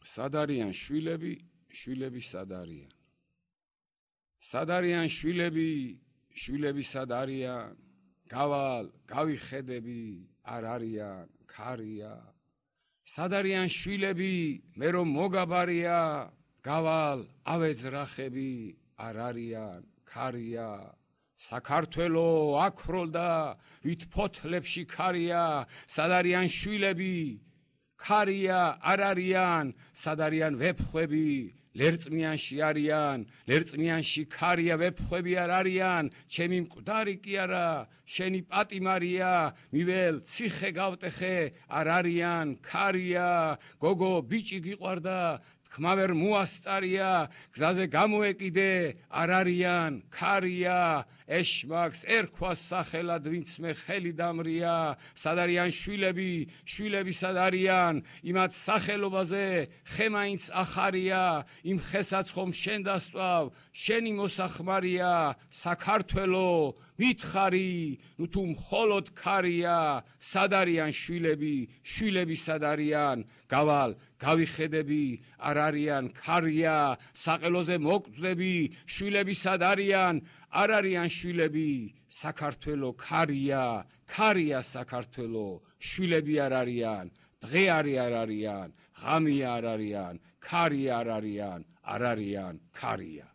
სად არიან შვილები, შვილები სად არიან? სად არიან შვილები, შვილები სად არიან? გავალ, გავიხედები, არ არიან, ქარია. სად არიან შვილები, მე რომ მოგაბარია, გავალ, ავეძრახები, არ არიან, ქარია. საქართველო აქროლდა, ვით ფოთლებში ქარია, სად არიან შვილები, ქარია, არ არიან, სად არიან ვეფხვები, ლერწმიანში არიან, ლერწმიანში ქარია, ვეფხვები არ არიან, ჩემი მკვდარი კი არა, შენი პატიმარია, მიվել ციხე გავტეხე, არ არიან, ქარია, გოგო ბიჭი გიყვარდა, თქმა ვერ მოასწარია, გზაზე გამოეკიდე, არ არიან, ქარია, ეშმაკს ერქვას სახელად, ვინც მე ხელი დამრია, სად არიან შვილები, შვილები სად არიან, იმათ სახელობაზე ხე მაინც ახარია, იმ ხესაც ხომ შენ დასწვავ, შენი მოსახმარია, საქართველო, მითხარი, ნუ თუ მხოლოდ ქარია, სად არიან შვილები, შვილები სად არიან, გავალ, გავიხედები, არ არიან, ქარია, საყელოზე მოგწდები, შვილები სად არიან, არ არიან შვილები, საქართველო ქარია, ქარია საქართველო, შვილები არ არიან, დღე არ არიან, ღამე არ არიან, ქარია არ არიან, არ არიან, ქარია.